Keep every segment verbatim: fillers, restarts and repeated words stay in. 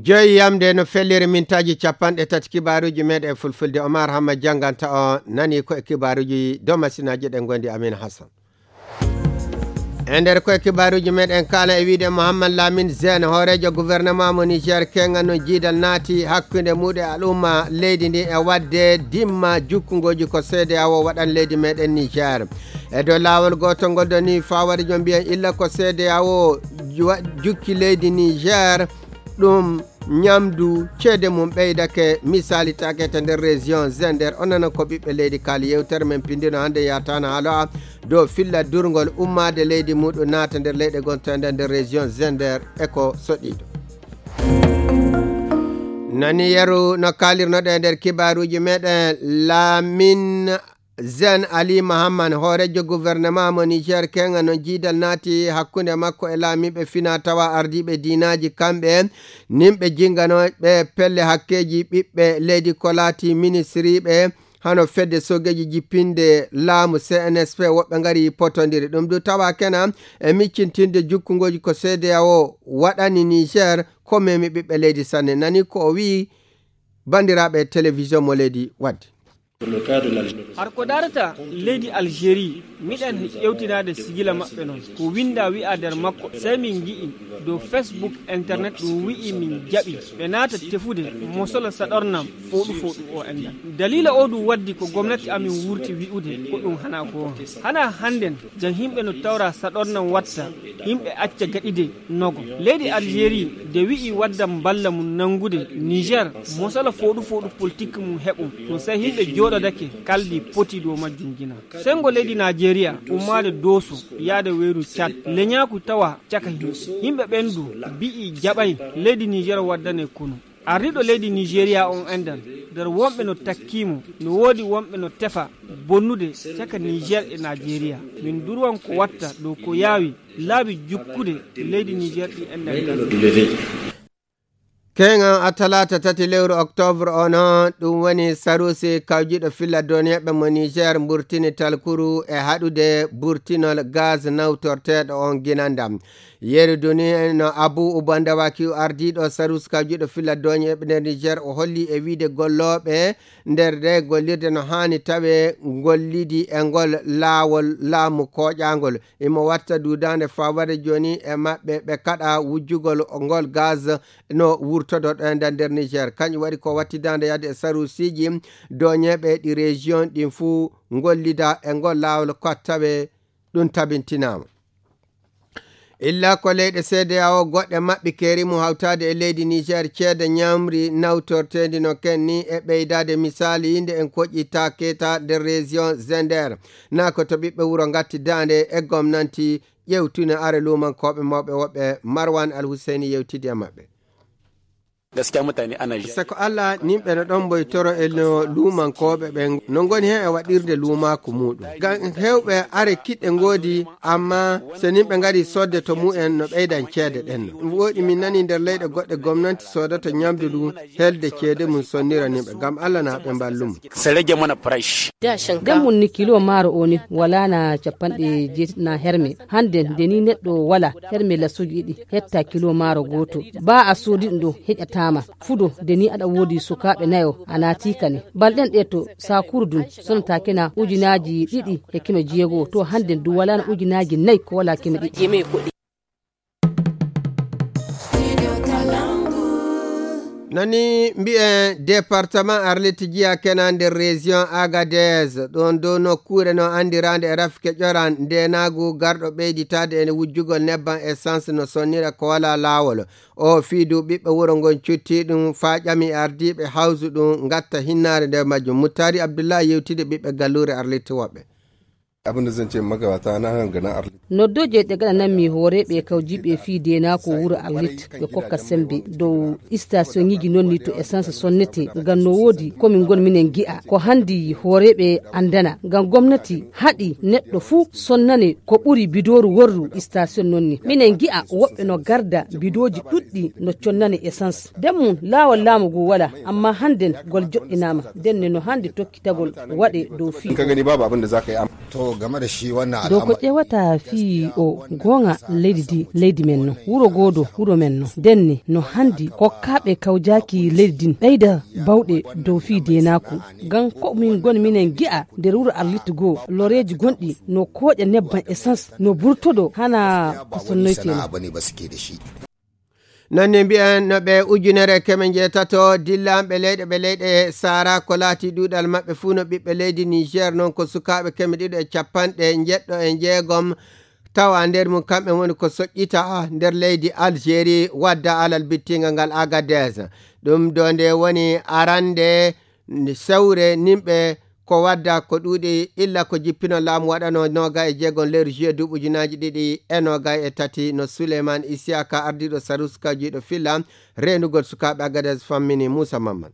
Joyi yamde no felliri mintaaji capanɗe tati kibaaruuji meeɗen fulfulde. Omar Hamma jannganta on, nani ko e kibaaruuji dow masinaaji ɗen ngondi Amin Hassan. E nder koye kibaaruuji meeɗen kaala e wiide Mohamed Lamine Zen, hooreejo gouvernement mo Niger, kenga no jiidal naati hakkunde muuɗum e al'umma leydi ndi e waɗde dimma jukkungooji ko C D A O waɗan leydi meeɗen Niger. E dow laawol gootol ngol doni fawade jom mbiyen illa ko C D A O wa-, jukki leydi Niger, ɗum ñamdu ceede mum ɓeydake, misaali takete nder région Zender. Onana ko ɓiɓɓe leydi kaali yewtere men pindino hannde yataana haala dow filla durngol ummaade leydi muɗum naata nder leyɗe gontoɗe nder région Zender e ko soɗiiɗo. Nani yeru no kaalirnoɗe nder kibaaruuji meɗen, Lamin Zen Ali Mahamman, hooreejo gouvernement mo Niger, kenga no jiidal naati hakkunde makko e laamiiɓe fina tawa ardiiɓe diinaaji kamɓe, nimɓe jinganooɓe pelle hakkeeji ɓiɓɓe leydi ko laati ministriiɓe, hano fedde sogeeji jippinde laamu C N S P, woɓɓe ngari potondiri. Ɗum du tawa kena e miccintinde jukkungooji ko C D A O waɗani Niger, ko memi ɓiɓɓe leydi sanne. Nani ko o wi'i banndiraaɓe télévision mo leydi waddi. Har ko darata leydi Algérie, miɗen ƴewtinaade sigila maɓɓe noon. Ko winnda wi'a nder makko, sey min ngi'i dow Facebook, internet, ɗum wi'i min jaɓi ɓe naata tefude mosolo saɗornam fooɗu fooɗu o enɗan. Daliila o ɗum waddi ko gomnati amin wurti wi'ude ko ɗum hana goonga. Hana hannden, jan yimɓe no tawra saɗornam watta, yimɓe acca gaɗide nogo. Leydi Algérie de wi'i waddan balla mum nanngude Niger, mosolo fooɗu fooɗu politik mum heɓum. Ɗum sey yimɓe jooɗodake kaldi poti dow majjum gina. Senngo leydi Najeriya ummaade Dooso yaade weeru Cad, leñaaku tawa caka yimɓe. Yimɓe ɓen du mbi'i jaɓay leydi Niger waddane kunu. Ardiiɗo leydi Nigeria on enɗan, nder wonɓe no takkii mo, no woodi wonɓe no tefa bonnude caka Niger e Najeriya. Min durwan ko watta dow ko yaawi laabi jukkude leydi Niger ɗi enɗan. Keŋan a talaata tati lewru octobre o no, ɗum woni Sarusi kawjiɗo filla doniyaɓe mo Niger mburtini talkuru e haɗude burtinol gaz nawtorteeɗo on ginandam. Yeru duni no Abu Ubanda Wakiu, ardiiɗo Sarusi kawjiɗo filla doniyaɓe nder Niger, o holli e wiide gollooɓe nder nde gollirde no haani tawe gollidi e ngol laawol laamu kooƴaangol. Imo watta duudaande fawade jooni e maɓɓe ɓe kaɗa wujjugol ngol gaz no wurtodo ɗo e nder Niger. Kañum waɗi ko wattidaande yahde e sarusiiji doñeeɓe ɗi région ɗin fuu ngollida e ngol laawol ko tawe ɗum tabintinaama. Illa ko leyɗe C D A O goɗɗe maɓɓi keeri mum hawtaade e leydi Niger ceede ñamri nawtorteendi no kenni e ɓeydaade misaali nde en koƴƴi Taketa nder région Zender. Naa ko to ɓiɓɓe wuro ngatti daande e gomnanti ƴewtino are luumankooɓe mawɓe woɓɓe. Marwan Al Husseini yewtidi e maɓɓe. Gaskiya mutane ana ji. Sako Allah, nimɓe no ɗon mboy toro e no luumankooɓe ɓen no ngoni heen e waɗirde luumaaku muuɗum. Ngam heewɓe are kiɗɗe ngoodi, amma so nimɓe ngari soodde to mumen no ɓeydan ceede ɗen. Ɗum woɗi min nani nder leyɗe goɗɗe gomnanti soodoto ñamdu ndu helde ceede mum sonnira nimɓe. Ngam Allah na ɓe mballu mo. Sere jamana price. Nden mun ni kilo maaro o ni wala na capanɗe jeetati na herme. Hande nde ni neɗɗo wala herme lasuji ɗiɗi hetta kilo maaro gooto. Ba a soodi ɗum ɗo heƴataama. Fudo nde ni aɗa woodi sukaaɓe nayo a naati kane. Balɗen ɗe to saakuru dun sonataake na ujunaaji ɗiɗi e keme jeego. To hande du wala na ujunaaji nayi ko wala keme ɗiɗi. Nani mbi'en département Arlit jiya kena nder région Agadez, ɗon dow nokkuure no andirande e rafike ƴoran ndenagu garɗo ɓeyditade e wujjugol nebban essence no sonnira ko wala laawol. O fiidu ɓiɓɓe wuro ngon cutti ɗum faa ƴami ardiiɓe hawsu ɗum ngatta hinnaare nder majjum. Muttari Abdullahi yewtide ɓiɓɓe galluure Arlit woɓɓe. Abin da zan ce magabata na hangana Arlit. Noddoje ɗe gaɗananmi hooreeɓe kawjiiɓe fii deenaako wuro Arlit ɓe kokka sembe dow istaasiyoŋiiji non ni to essence sonnete. Ngam no woodi ko min ngon minen ngi'a ko handi hooreeɓe andana. Ngam gomnati haɗi neɗɗo fuu sonnane ko ɓuri bidooru worru istaasiyon non ni. Minen ngi'a woɓɓe no garda bidooji ɗuɗɗi no connane essence. Den mum laawol laamu ngu wala, amma handen gol joɗɗinaama. Den ne no handi tokkitagol waɗe dow fii. In ka gani babu abin da za ka yi, am- To, Dow ko ƴeewata fii o goonga leydi ndi, leydi men no, wuro goodo, wuro men no. Ndenne no hanndi kokkaaɓe kawjaaki leydi ndin ɓeyda bawɗe dow fii deenaaku. Ngam ko min ngoni minen gi'a nder wuro Arlit goo, loreeji gonɗi no kooƴa nebban essence, no burtodoo hana ko sonnoytee non. Noon ne mbiyen no ɓe ujunere keme njeetato dillanɓe leyɗe ɓe leyɗe Sahara, ko laati ɗuuɗal maɓɓe fuu no ɓiɓɓe leydi Niger, noon ko sukaaɓe keme ɗiɗo e capanɗe njeɗɗo e njeegom, tawa nder mum kamɓe woni ko soƴƴita nder leydi Algérie, wadda alal bittingal ngal Agadez. Ɗum ɗo nde woni arande sewre nimɓe ko wadda ko ɗuuɗi illa ko jippino laamu waɗano noga e jeegom lewru juillet duuɓi ujunaaji ɗiɗi e noga e tati, no Suleyman Isiyaka, ardiiɗo Sarus kawjiiɗo filla reenugol sukaaɓe Agadez, fammini Muusa Mamman.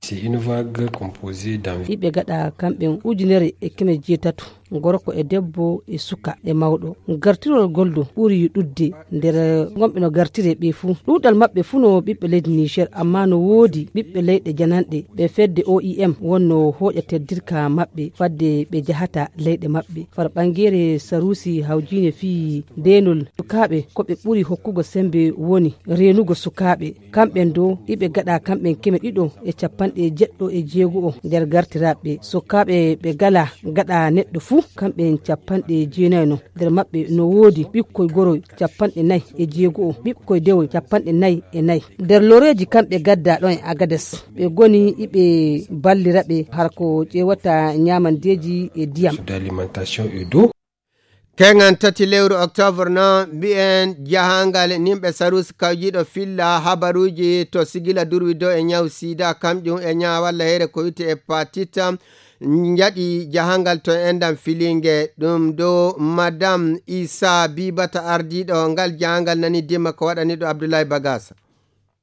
C'est une vague composée d'environ. Iɓe gaɗa kamɓe ujunere e keme jeetato, gorko e debbo e suka e mawɗo. Gartirol gol ɗo ɓuri ɗuuɗde nder gonɓe no gartire ɓe fuu. Ɗuuɗal maɓɓe fuu no ɓiɓɓe leydi Niger, amma no woodi ɓiɓɓe leyɗe jananɗe. Ɓe fedde O I M wonno hooƴa teddirka maɓɓe fadde ɓe jahata leyɗe maɓɓe. Far ɓangeere Sarusi hawjiine fii deenol sukaaɓe ko ɓe ɓuri hokkugo sembe woni reenugo sukaaɓe. Kamɓen dow iɓe gaɗa kamɓen keme ɗiɗo e capanɗe jeɗɗo e jeego'o nder gartiraaɓe. Sukaaɓe ɓe gala gaɗa neɗɗo fuu kamɓen capanɗe jeenayi no. Nder maɓɓe no woodi ɓikkoy goroy capanɗe nayi e jeego'o, ɓikkoy dewoy capanɗe nayi e nayi. Nder loreeji kamɓe gadda ɗon e Agades, ɓe goni iɓe ballira ɓe har ko ƴeewata ñaamandeeji e diyam. D'alimentation et d'eau. Keŋan tati lewru octobre no mbi'en jahangal nimɓe Sarus kawjiiɗo filla habaruuji to sigila durwi dow e ñaw sida, kamƴum e ñaawalla heere ko wi'ete hepatite, njaɗi jahangal to enɗam filinge. Ɗum dow Madame Isa Bibata ardiiɗo ngal jahangal nani dimma ko waɗani ɗo Abdoulaye Bagasa.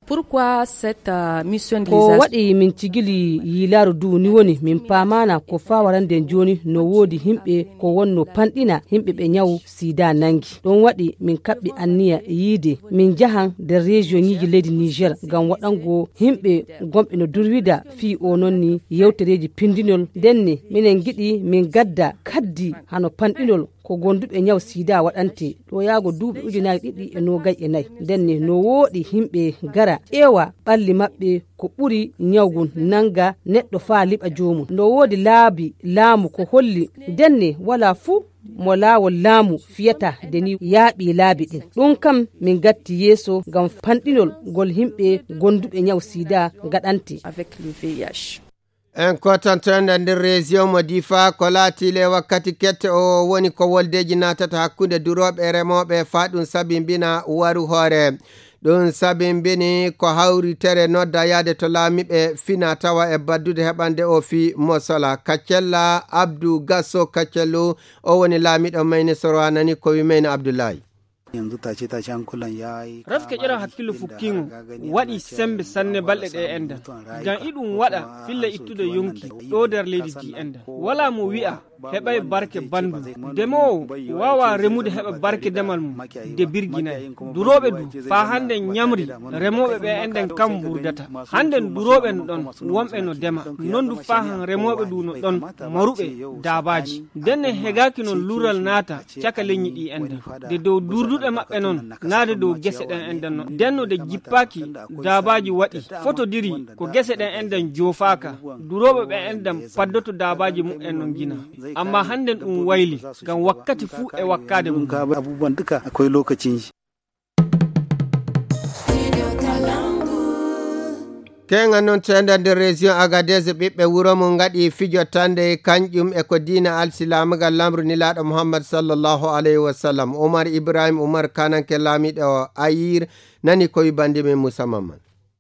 Pourquoi cette, euh, mission de ko waɗi min cigili yiilaaru ndu ni woni min paamaana ko faa warande jooni no woodi yimɓe ko wonno panɗina yimɓe ɓe ñaw sida nangi. Ɗum waɗi min kaɓɓi anniya yiide min njahan nder région ñiiji leydi Niger ngam waɗango yimɓe gonɓe no durwida fii o noon ni yewtereeji pindinol. Ndenne minen ngiɗi min gadda kaddi hano panɗinol ko gonduɓe ñaw sida waɗante ɗo yaago duuɓi ujunaaji ɗiɗi e noogay e nayi. Ndenne no wooɗi yimɓe gara ƴeewa ɓalli maɓɓe ko ɓuri ñaw ngun nanga neɗɗo faa liɓa joomum. No woodi laabi laamu ko holli ndenne walaa fuu mo laawol laamu fiyata nde ni yaaɓi laabi ɗin. Ɗum kam min gatti yeeso ngam panɗinol ngol yimɓe gonduɓe ñaw sida ngaɗante. Avec le V I H. En kotanto nder nder région mo Difa ko laati le wakkati kette o woni ko woldeji naatata hakkunde durooɓe e remooɓe faa ɗum sabimbina waru hoore. Ɗum sabimbini ko hawritere nodda yaade to laamiiɓe fina tawa e baddude heɓande o fii Mosola. Kaccella Abdu Gasso Kaccellu, o woni laamiiɗo Mayne Soro, a nani ko wi Mayne Abdullahi. Refke ƴeewa hakkillo fukkiingo waɗi semmbe sanne balɗe ɗe enɗan. Ngam iɗum waɗa filla ittude yonki ɗo nder leydi ndi enɗan. Walaa mo wi'a heɓay barke banndum. Demoowo waawaa remude heɓa barke demal mum de birginay. Durooɓe du faa hannden ñamri remooɓe ɓe enɗan kam mburdata. Hannden durooɓe no ɗon, wonɓe no dema. Non du faa han remooɓe du no ɗon maruɓe daabaaji. Ndenne hegaaki non lural naata caka leñi ɗi enɗan. De dow durduɗe maɓɓe non, naa de dow gese ɗen enɗan non. Ndenno de jippaaki daabaaji waɗi, fotodiri ko gese ɗen enɗan joofaaka. Durooɓe ɓe enɗan paddoto daabaaji muɓɓen non ngina. Amma hannden ɗum wayli, ngam wakkati fuu e wakkaade mum. Keŋan noon teenda nder région Agadez, ɓiɓɓe wuro mum ngaɗi fijo tande, kanƴum e ko diina alsilaamagal lamru nilaaɗo Muhammad sallallahu alayhi wa sallam. Umar Ibrahim Umar kananke laamiiɗo Ayir nani ko wi bandi men Musa Mamman.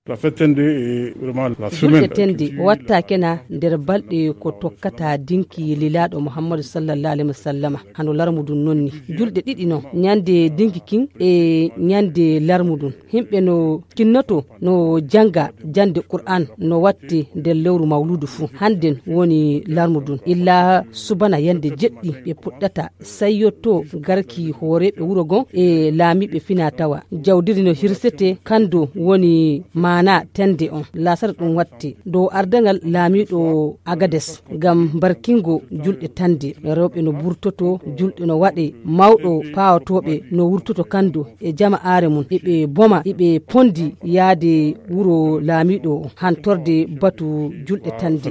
La fête tende est vraiment la julde semaine tende watta kena nder balɗe ko tokkata dinki lilaaɗo Muhammadu sallallahu alayhi wa sallama. Hano larmudun nonni julɗe ɗiɗi no ñande dinki kin e ñande larmudun. Yimɓe no kinnoto no janga jande Qur'an no watti nder lewru mawludu fuu. Hannden woni larmudun illa subana yande jeɗɗi ɓe puɗɗata sayyotto garki hooreeɓe wuro gon e laamiiɓe fina tawa. Jawdiri no hirsete kando woni Ana tande on, lasara ɗum watte dow ardaŋal laamiiɗo Agades ngam barkingo julɗe tande. Rewɓe no burtoto, julɗe no waɗe, mawɗo paawotooɓe no wurtoto kando e jama'aare mum, eɓe boma, eɓe pondi yaade wuro laamiiɗo hantorde batu julɗe tande.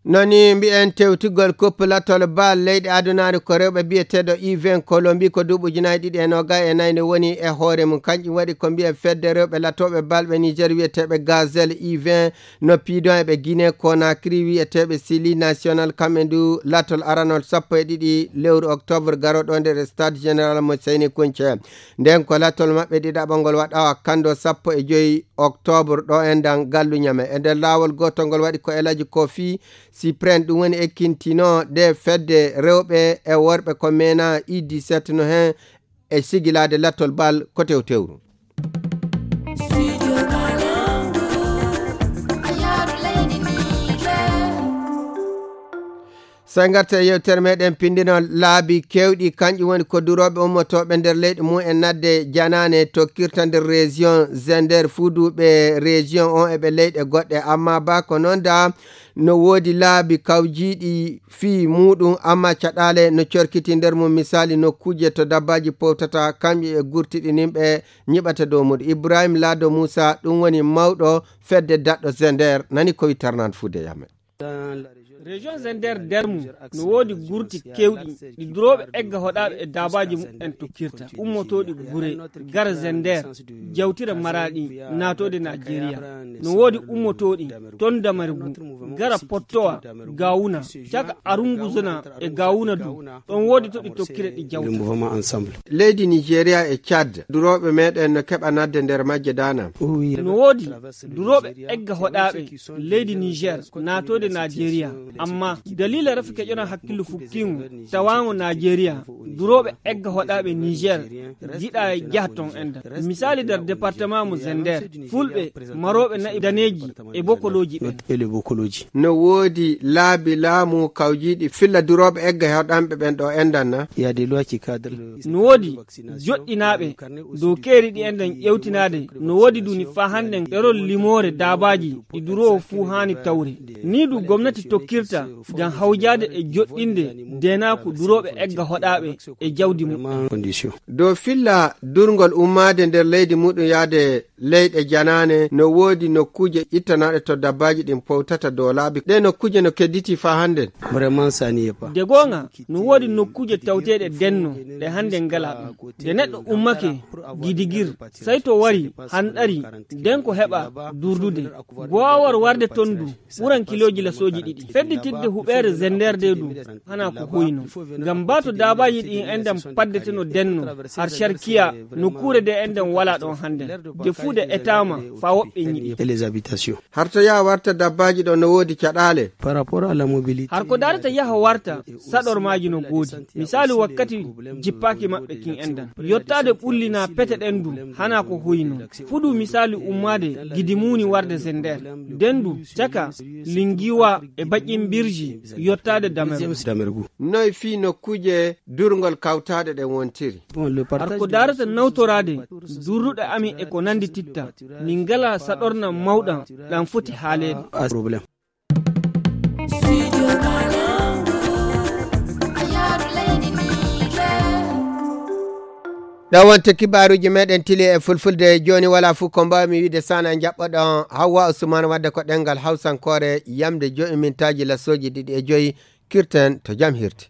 Noni mbi'en tewtigol kuppe latol bal leyɗe adunaare ko rewɓe biyeteeɗo U vingt Colombie ko duuɓi ujunaaji ɗiɗi e nogas e nayi ne woni e hoore mum. Kanƴum waɗi ko mbi'en fedde rewɓe latooɓe bal ɓe Niger wiyeteeɓe Gazelle U vingt no piidon e ɓe Guinée Conakry wiyeteeɓe Sili National kamɓe ndu latol aranol sappo e ɗiɗi lewru octobre garooɗo nder e stade général mo Seyni Kunce. Nden ko latol maɓɓe ɗiɗaɓo ngol waɗawa kando sappo e joyi octobre ɗo e ndan gallu Ñame. E nder laawol gootol ngol waɗi ko Elaji Kofi Cyprien ɗum woni ekkintino ɗe fedde rewɓe e worɓe ko mena U dix-sept no hen e sigilaade lattol bal ko tewtewru. So en ngarta e yewtere meɗen pindino laabi kewɗi, kanƴum woni ko durooɓe ummotooɓe nder leyɗe mum en nadde janaane tokkirta nder région Zender fuduɓe région on e ɓe leyɗe goɗɗe. Amma ba ko noon da no woodi laabi kawjiiɗi fii muuɗum, amma caɗaale no corkiti nder mum. Misaali nokkuuje to dabbaaji powtata, kamƴe e gurtiɗi nimɓe nyiɓata dow mum. Ibrahim Lado Musa, ɗum woni mawɗo fedde daɗɗo Zender, nani ko wi Tarnan Fude Yame. Région Zender nder mum no woodi gurti kewɗi ɗi durooɓe egga hoɗaaɓe e daabaaji mum en tokkirta. Ummotooɗi gure, gara Zender, jawtira Maraɗi, naatoode Najeriya. No woodi ummotooɗi ton Damargu, gara Pottowa, Gawuna, caka Arunguzuna e Gawuna du. Ɗon woodi to ɗi tokkira ɗi jawta. Leydi Nigeria e Chad, durooɓe meɗen no keɓa nadde nder majje dana. No woodi durooɓe egga hoɗaaɓe leydi Niger naatoode Najeriya. Amma dalila rafi keƴona hakkillu fukkingo tawango Najeriya, durooɓe egga hoɗaaɓe Niger jiɗa jaha ton enda. Misali nder département mo Zender, fulɓe marooɓe na'i daneeji e bokolooji ɓen. No woodi laabi laamu kawjiiɗi filla durooɓe egga hoɗanɓe ɓen ɗo endan na? No woodi joɗɗinaaɓe dow keeri ɗi enɗen ƴewtinaade, no woodi duni faa hannden ɗerol limoore daabaaji ɗi duroowo fuu haani tawre. Nii du gomnati tokkirta ngam hawjaade e joɗɗinde deenaaku durooɓe egga hoɗaaɓe e jawdi mum. Dow filla durngol ummaade nder leydi muɗum yaade leyɗe janaane, no woodi nokkuuje ittanaaɗe to dabbaaji ɗin powtata dow laabi. Ɗee nokkuuje no kedditi faa hannden. De goonga, no woodi nokkuuje tawteeɗe denno ɗe hannden ngalaa ɗum. Nde neɗɗo ummake gidigir, sey to wari, hanɗari, nden ko heɓa durdude. Goowal warde ton du ɓuran kilooji lasooji ɗiɗi. Fedditirde huɓeere Zender de du hana ko hoyno. Ngam baa to daabaaji ɗin enɗan paddeteno denno, har Sharkiya, nokkuure de enɗan walaa ɗon hannden. De fuu de etaama faa woɓɓe nyiɓi. Har to yaha warta dabbaaji ɗo no woodi caɗaale. Har ko darata yaha warta, saɗormaaji no goodi. Misaalu wakkati jippaaki maɓɓe kin enɗan. Yottaade ɓulli naa pete ɗen du hana ko hoyno. Fuɗu misaalu ummaade Gidi Muuni warde Zender. Den du caka Lingiwa e Baƴin Birji yottaade Damergu. Noy fii nokkuuje durngol kawtaaɗe ɗen wontiri? Har ko darata nawtoraade durruɗe amin e ko nandi titta, min ngalaa saɗorna mawɗan ɗan foti haaleede. Ɗo wonte kibaaruuji meɗen tili e fulfulde. Jooni wala fuu ko mbaawmi wiide sana njaɓɓoɗon Hawwa Usman wadde ko ɗengal Hawsankoore yamde joyi mintaaji lasooji ɗiɗi e joyi. Kirten to jam hirti.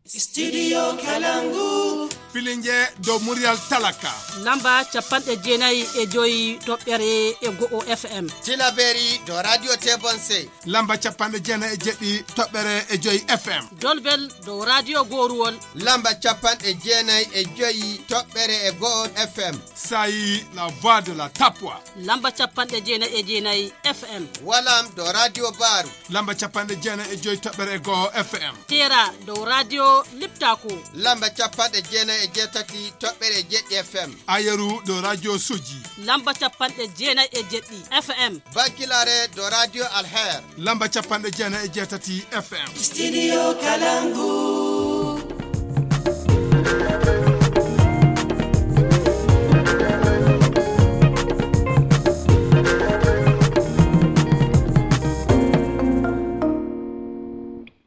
Studio Kalangu. Filinge dow muryal talaka. Lamba capanɗe jeenayi e joyi toɓɓere e go'o F M. Tilaberi dow Radio Tebonse. Lamba capanɗe jeenayi e jeɗɗi toɓɓere e joyi F M. Dolbel dow Radio Goruwol. Lamba capanɗe jeenayi e joyi toɓɓere e go'o F M. Sayi la voix de la Tapwa. Lamba capanɗe jeenayi e jeenayi F M. Walam dow Radio Baru. Lamba capanɗe jeenayi e joyi toɓɓere e go'o F M. Tera dow Radio Liptako. Lamba capanɗe jeenayi e jeetati toɓɓere e jeɗɗi F M. Ayeru dow Radio Soji. Lamba capanɗe jeenayi e jeɗɗi F M. Bankilare dow Radio Alher. Lamba capanɗe jeenayi e jeetati F M. Studio Kalangu.